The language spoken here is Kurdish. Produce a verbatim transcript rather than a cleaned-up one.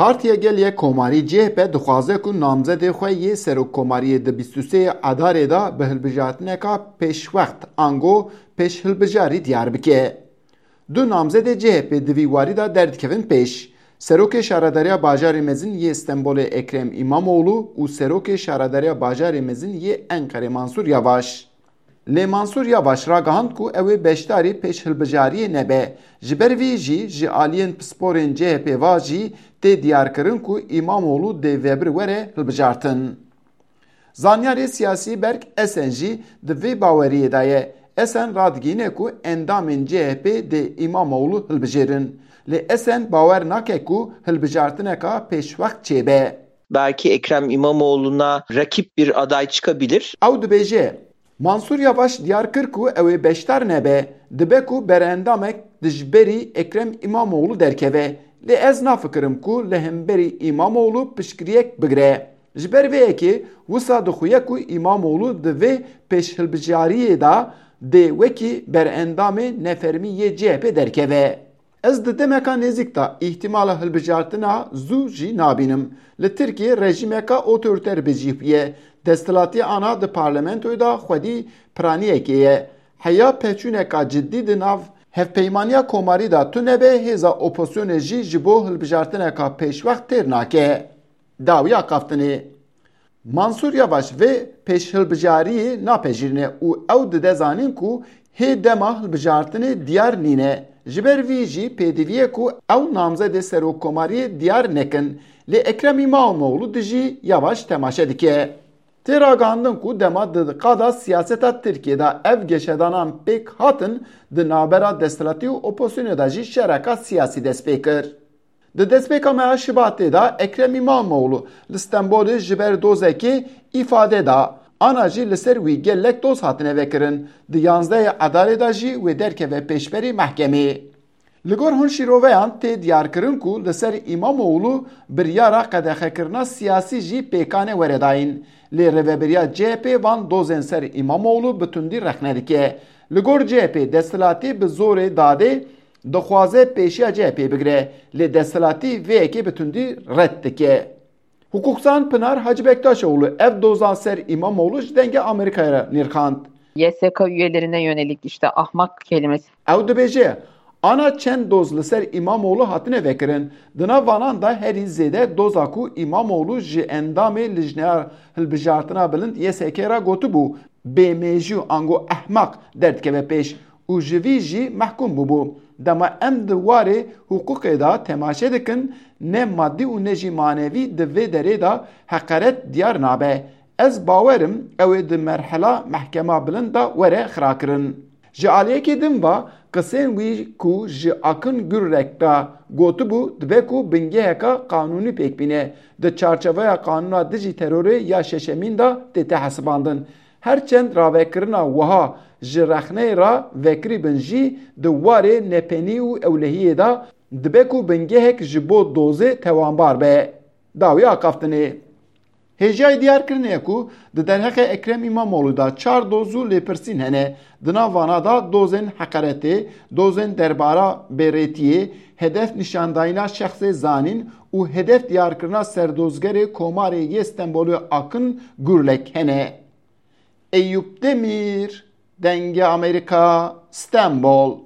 Partiya Gel yê Komarî C H P dixwaze ku namzedê xwe yê serokkomariyê di bîst û sê Edarê de bi hilbijartineka pêşwext ango pêşhilbijarî diyar bike. Du namzedê C H P di vî warî de derdikevin pêş. Serokê Şaredariya Bajarê Mezin yê Stenbolê Ekrem Îmamoğlu û Serokê Şaredariya Bajarê Mezin yê Enqerê Mansur Yavaş. Lê Mansur Yavaş ragihand ku ew ê beşdarî pêşhilbijariyê nebe. Ji ber vî jî ji aliyên pisporên C H P va jî tê diyarkirin ku Îmamoğlu dê vebir were hilbijartin. Zanyarê siyasî Berk Esen jî di vê baweriyê de ye. Esen radigihîne ku endamên C H P dê Îmamoğlu hilbijêrin. Lê Esen bawer nake ku hilbijartineka pêşwext çêbe. Belki Ekrem İmamoğlu'na rakip bir aday çıkabilir. Ew dibêje, Mansur Yavaş diyar kir ku ew ê beşdar nebe, dibe ku berendamek dijberî Ekrem Îmamoğlu derkeve. Lê ez nafikirim ku li hemberî Îmamoğlu piştgiriyek bigire. Ji ber vê yekê wisa dixuye ku Îmamoğlu di vê pêşhilbijariyê de dê wekî berendamê nefermî yê C H P derkeve. Ez di demeka nêzîk de îhtimala hilbijartina zû jî nabînim. Li Tirkiyê rejîmeka otoriter bi cih bûye. Desthilatî ana di parlamentoyê de xwedî piraniyekê ye. Heya pêçûneka cidî di nav hevpeymaniya komarî de tune be, hêza opozisyonê jî ji bo hilbijartineka pêşwext têr nake. Dawiya axaftinê. Mansur Yavaş vê pêşhilbijariyê napejirîne û ew dide zanîn ku hê dema hilbijartinê diyar nîne. Ji ber vî jî pêdivî ye ku ew namzedê serokkomariyê diyar nekin. Lê Ekrem Îmamoğlu dijî Yavaş temaşe dike. Tê ragihandin ku dema di qada siyaseta Tirkiyê de ev geşedanan pêk hatin, di navbera desthilatî û opozisyonê de jî şereka siyasî dest pê kir. Di destpêka meha Şibatê de Ekrem Îmamoğlu li Stenbolê ji ber dozekê îfade da. Ana jî li ser wî gelek doz hatine vekirin. Di yanzdehê Edarê de jî wê derkeve pêşberî mehkemê. Li gor hin şîroveyan tê diyarkirin ku li ser Îmamoğlu biryara qedexekirina siyasî jî pêkane were dayîn. Lê rêveberiya C H P van dozên ser Îmamoğlu bi tundî rexne dike. Li gor C H P desthilatî bi zorê dadê dixwaze pêşiya C H P bigire, lê desthilatî vê yekê bi tundî red dike. Hukukzan Pinar Hacı Bektaşoğlu ev dozan ser Îmamoğlu ji Dengê Amerîkayê re nirxand. Y S K üyelerine yönelik işte ahmak kelimesi. Ew dibêje, ana çend doz li ser Îmamoğlu hatine vekirin. Di nav vanan de herî zêde doza ku Îmamoğlu ji endamê Lijneya Hilbijartina Bilind Y S K re gotibû, bêmêjû ango ehmaq derdikeve pêş û ji vî jî mehkûm bûbû. Dema em di warê hiqûqê de temaşe dikin, ne madî û ne jî manevî di vê derê de heqeret diyar nabe. Ez bawer im ew ê di merhela mehkema bilind de were xirakirin. Ji aliyekî din ve qisên wî ku ji Akın Gürlek re gotibû, dibe ku bingeheka qanûnî pêk bîne, di çarçeveya Qanûna Dijî Terorê ya Şeşemîn de tête hesibandin. Her çend ravekirina wiha ji rexneyê re vekirî bin jî, di warê nepenî û ewlehiyê de dibe ku bingehek ji bo dozê tewanbar be. Dawî axaftinê. Hêjayî diyarkirinê ye ku di derheqê Ekrem Îmamoğlu de çar doz û lêpirsîn hene. Di nav vana de dozên heqeretê, dozên derbara bêrêtiyê, hedef nîşandayîna şexsê zanîn û hedef diyarkirina serdozgerê Komarê yê Stenbolê Akın Gürlek hene. Eyûp Demîr, Dengê Amerîka, Stenbol.